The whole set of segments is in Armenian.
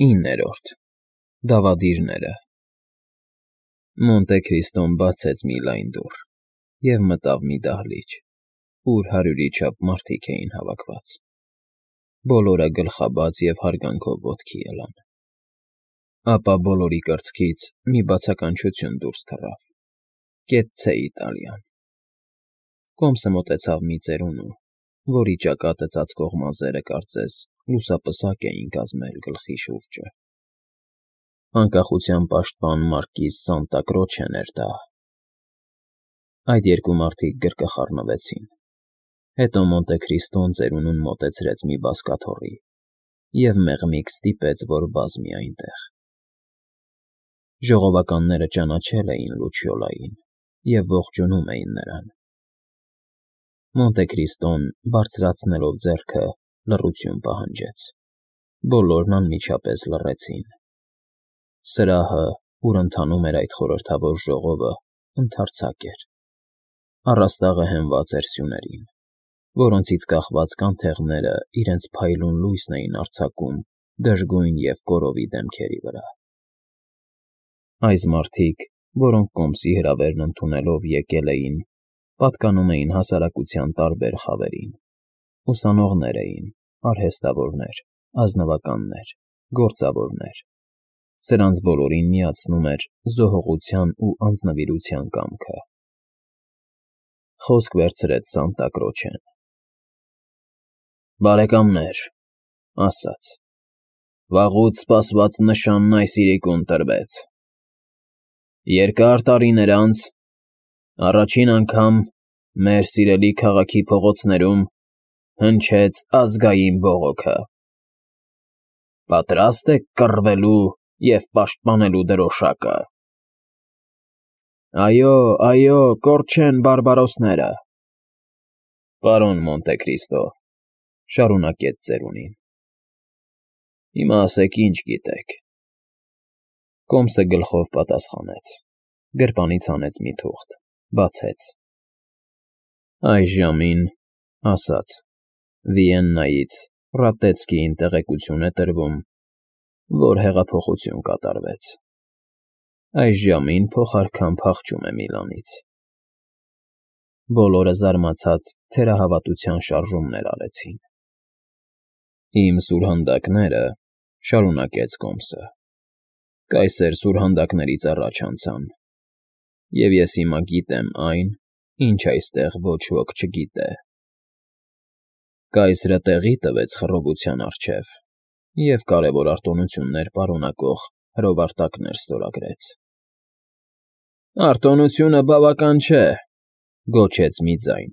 9. Դավադիրները Մոնտե Քրիստոն բացեց մի լայն դուռ և մտավ մի դահլիճ, ուր 100-ի չափ մարդիկ էին հավաքված. բոլորը գլխաբաց և հարգանքով ոտքի ելան. ապա բոլորի կրծքից մի բացականչություն դուրս թռավ. «Կեցցե Իտալիան»։ Կոմսը մոտեցավ մի ծերունու, որի ճակատը ծածկող մազերը, կարծես, լուսապսակ էին կազմել գլխի շուրջը. Անկախության պաշտպան մարկիզ Սանտա Կրոչեն էր դա։ Այդ երկու մարդիկ գրկխառնվեցին, հետո Մոնտե Քրիստոն ծերունուն մոտեցրեց մի բազկաթոռի և մեղմիկ ստիպեց, որ բազմի այնտեղ։ Ժողովականները ճանաչել էին Լուչիոլային և ողջունում էին նրան։ Մոնտե Քրիստոն, բարձրացնելով ձեռքը, լռություն պահանջեց։ Բոլորն անմիջապես լռեցին։ Սրահը, ուր ընթանում էր այդ խորհրդավոր ժողովը, ընդարձակ էր։ Առաստաղը հենված էր սյուներին, որոնցից կախված կանթեղները իրենց փայլուն լույսն էին արձակում դժգույն և կորովի դեմքերի վրա։ Այս մարդիկ, որոնք կոմսի հրավերն ընդունելով եկել էին, պատկանում էին հասարակության տարբեր խավերին. ուսանողներ էին, արհեստավորներ, ազնվականներ, գործավորներ։ Սրանց բոլորին միացնում էր զոհողության ու անձնվիրության կամքը։ Խոսք վերցրեց Սանտա Կրոչեն. «Բարեկամներ», ասաց, «վաղուց սպասված նշանն այս իրիկուն տրվեց։ Երկար տարիներ անց առաջին անգամ մեր սիրելի քաղաքի փողոցներում հնչեց ազգային բողոքը։ Պատրաստ եք կռվելու և պաշտպանելու դրոշակը։ Այո, այո, կորչեն բարբարոսները։ Պարոն Մոնտե Քրիստո, շարունակեց ծերունին, հիմա ասեք ինչ գիտեք։ Կոմսը գլխով պատասխանեց, գրպանից հանեց մի թուղթ, բացեց։ Այս ժամին, ասաց, Վիեննայից Ռատեցկիին տեղեկություն է տրվում, որ հեղափոխություն կատարվեց։ Այս ժամին փոխարքան փախչում է Միլանից։ Բոլորը զարմացած թերահավատության շարժումներ արեցին։ Իմ սուրհանդակները, շարունակեց Կոմսը, կայսեր սուրհանդակներից առաջ անցան, և ես հիմա գիտեմ այն, ինչ այստեղ ոչ ոք չգիտե։ Կայսրը տեղի տվեց խռովության առջև և կարևոր արտոնություններ պարունակող հրովարտակներ ստորագրեց։ Արտոնությունը բավական չէ, գոչեց մի ձայն։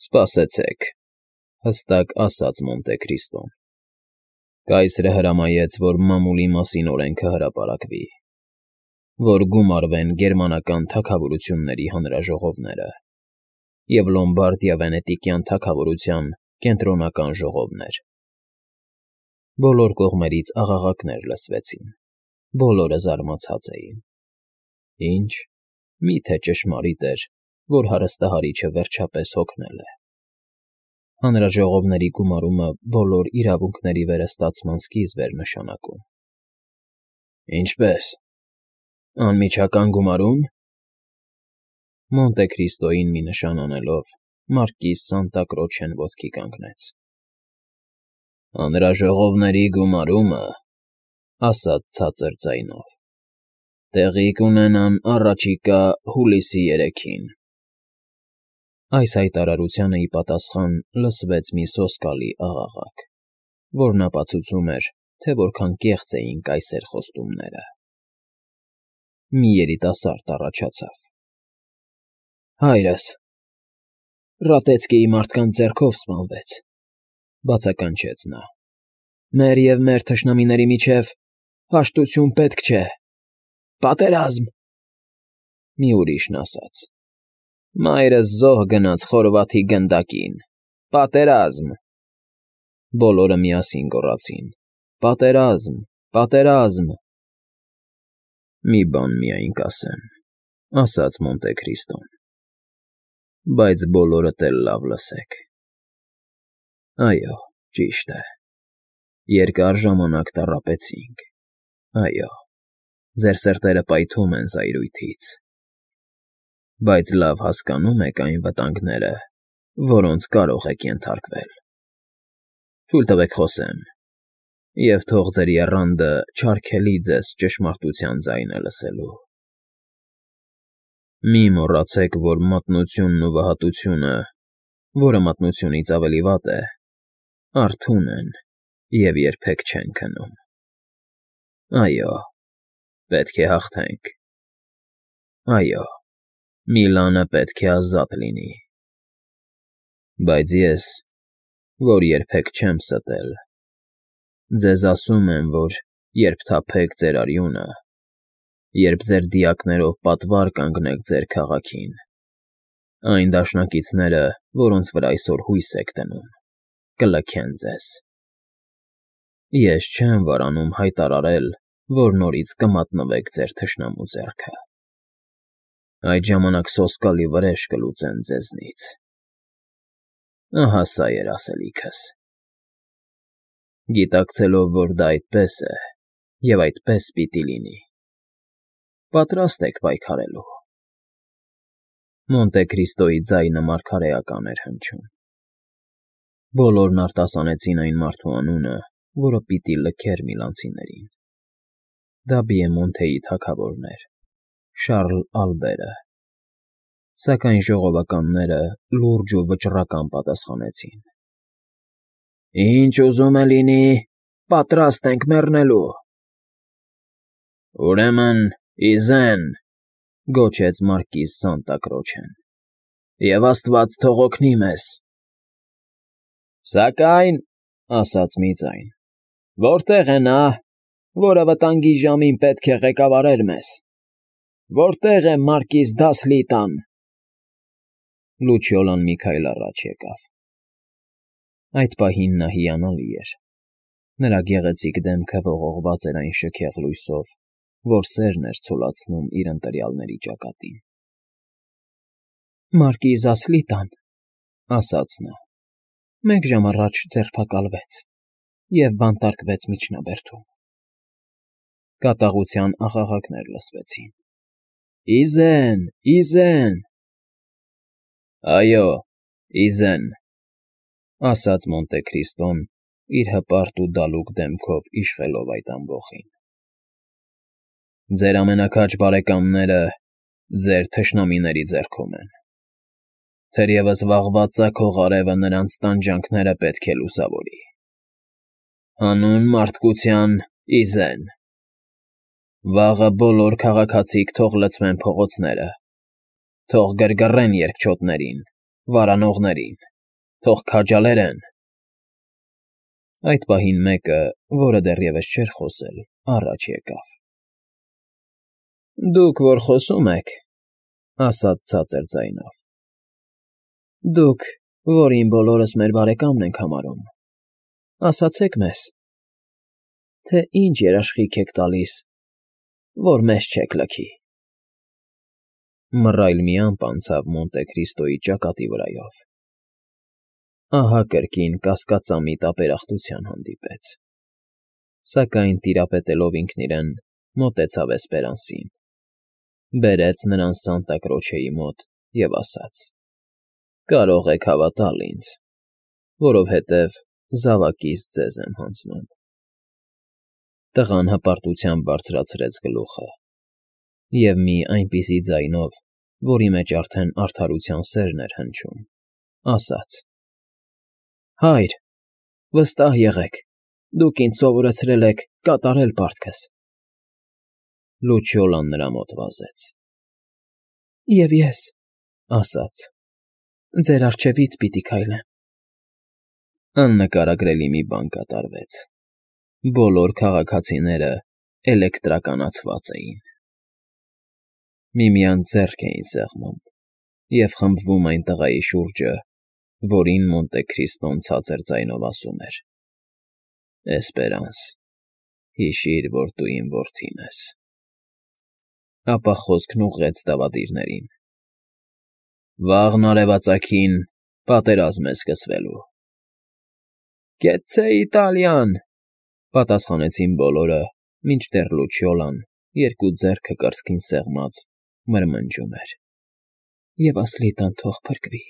Սպասեցեք, հստակ ասաց Մոնտե Քրիստոն։ Կայսրը հրամայեց, որ մամուլի մասին օրենքը հրապարակվի, որ գումարվեն գերմանական թագավորությունների հանրաժողովները և Լոմբարդիա֊Վենետիկյան թագավորության կենտրոնական ժողովներ։ Բոլոր կողմերից աղաղակներ լսվեցին, բոլորը զարմացած էին։ Ինչ, միթե ճշմարիտ էր, որ հարստահարիչը վերջապես հոգնել է։ Հանրաժողովների գումարումը բոլոր իրավունքների վերստացման սկիզբ էր նշանակում։ Ինչպե՞ս, անմիջական գումարո՞ւմ։ Մոնտե Քրիստոյին մի նշան անելով, մարկիզ Սանտա Կրոչեն ոտքի կանգնեց։ Հանրաժողովների գումարումը, ասաց ցածր ձայնով, տեղի կունենան առաջիկա հուլիսի 3-ին։ Այս հայտարարությանը ի պատասխան լսվեց մի սոսկալի աղաղակ, որն ապացուցում էր, թե որքան կեղծ էին կայսեր խոստումները։ Մի երիտասարդ առաջացավ. Հայրս Ռատեցկիի մարդկանց ձեռքով սպանվեց, բացականչեց նա։ Մեր և մեր թշնամիների միջև հաշտություն պետք չէ։ Պատերազմ։ Մի ուրիշն ասաց. Մայրս զոհ գնաց Խորվաթի գնդակին։ Պատերազմ։ Բոլորը միասին գոռացին. Պատերազմ, պատերազմ։ Մի բան միայն կասեմ, ասաց Մոնտե Քրիստոն, բայց բոլորդ էլ լավ լսեք։ Այո, ճիշտ է։ Երկար ժամանակ տառապեցինք, այո, ձեր սրտերը պայթում են զայրույթից, բայց լավ հասկանում եք այն վտանգները, որոնց կարող եք ենթարկվել։ Թույլ տվեք խոսեմ, և թող ձեր եռանդը չարգելի ձեզ ճշմարտության ձայնը լսելու։ Մի մոռացեք, որ մատնությունն ու վհատությունը, որը մատնությունից ավելի վատ է, արթուն են և երբեք չեն քնում։ Այո, պետք է հաղթենք։ Այո, Միլանը պետք է ազատ լինի։ Բայց ես, որ երբեք չեմ ստել, ձեզ ասում եմ, որ երբ թափեք ձեր արյունը, երբ ձեր դիակներով պատվար կանգնեք ձեր քաղաքին, այն դաշնակիցները, որոնց վրա այսօր հույս եք դնում, կլքեն ձեզ։ Ես չեմ վարանում հայտարարել, որ նորից կմատնվեք ձեր թշնամու ձեռքը։ Այդ ժամանակ սոսկալի վրեժ կլուծեն ձեզնից։ Ահա սա էր ասելիքս։ Գիտակցելով, որ դա այդպես է, և այդպես պիտի լինի, պատրաստ եք պայքարելու։ Մոնտե Քրիստոյի ձայնը մարգարեական էր հնչում։ Բոլորն արտասանեցին այն մարդու անունը, որը պիտի լքեր միլանցիներին։ Դա Բիեմոնտեի թագավորն էր, Շառլ Ալբերը։ Սակայն ժողովականները լուրջ ու վճռական պատասխանեցին. «Ինչ ուզում է լինի, պատրաստ ենք մեռնելու»։ «Ուրեմն, իզեն», գոչեց մարկիզ Սանտա Կրոչեն, «և Աստված թող օգնի մեզ»։ «Սակայն», ասաց մի ձայն, «որտե՞ղ է նա, որը վտանգի ժամին պետք է ղեկավարեր մեզ. որտե՞ղ է մարկիզ Դասլիտան»։ Լուչիոլան մի քայլ առաջ եկավ։ Այդ պահին նա հիանալի էր։ Նրա գեղեցիկ դեմքը ողողված էր այն շքեղ լույսով, որ սերն էր ցոլացնում իր ընտրյալների ճակատին։ «Մարկիզ Ասլիտան», ասաց նա, «մեկ ժամ առաջ ձերբակալվեց և բանտարկվեց միջնաբերդում»։ Կատաղության աղաղակներ լսվեցին։ «Իզեն, իզեն»։ «Այո, իզեն», ասաց Մոնտե Քրիստոն, իր հպարտ ու դալուկ դեմքով իշխելով այդ ամբոխին։ «Ձեր ամենաքաջ բարեկամները ձեր թշնամիների ձեռքում են։ Թերևս վաղվա ծագող արևը նրանց տանջանքները պետք է լուսավորի։ Հանուն մարդկության, իզեն։ Վաղը բոլոր քաղաքացիք թող լցվեն փողոցները, թող գրգռեն երկչոտներին, վարանողներին, թող քաջալերեն»։ Այդ պահին մեկը, որը դեռևս չէր խոսել, առաջ եկավ։ «Դուք որ խոսում եք», ասաց ցածր ձայնով, «դուք, որին բոլորս մեր բարեկամն ենք համարում, ասացեք մեզ, թե ինչ երաշխիք եք տալիս, որ մեզ չեք լքի»։ Մռայլ մի ամպ անցավ Մոնտե Քրիստոյի ճակատի վրայով։ Ահա կրկին կասկածամիտ ապերախտության հանդիպեց։ Սակայն տիրապետելով ինքն իրեն, մոտեցավ Էսպերանսին, բերեց նրան Սանտա Կրոչեի մոտ և ասաց. «Կարող եք հավատալ ինձ, որովհետև զավակից ձեզ եմ հանձնում»։ Տղան հպարտությամբ բարձրացրեց գլուխը և մի այնպիսի ձայնով, որի մեջ արդեն արդարության սերն էր հնչում, ասաց. «Հայր, վստահ եղեք, դուք ինձ սովորեցրել եք կատարել պարտքս»։ Լուչիոլան նրա մոտ վազեց։ «Եվ ես», ասաց, «ձեր առջևից պիտի քայլեմ»։ Աննկարագրելի մի բան կատարվեց։ Բոլոր քաղաքացիները էլեկտրականացված էին։ Միմյանց ձեռք էին սեղմում և խմբվում այն տղայի շուրջը, որին Մոնտե Քրիստոն ցածր ձայնով ասում էր. «Էսպերանս, հիշիր, որ դու իմ որդին ես»։ Ապա խոսքն ուղղեց դավադիրներին. «Վաղն արևածագին պատերազմ է սկսվելու»։ «Կեցցե Իտալիան», Պատասխանեցին բոլորը, մինչդեռ Լուչիոլան, երկու ձեռքը կրծքին սեղմած, մրմնջում էր. ֊ Եվ Ասլիտան թող փրկվի։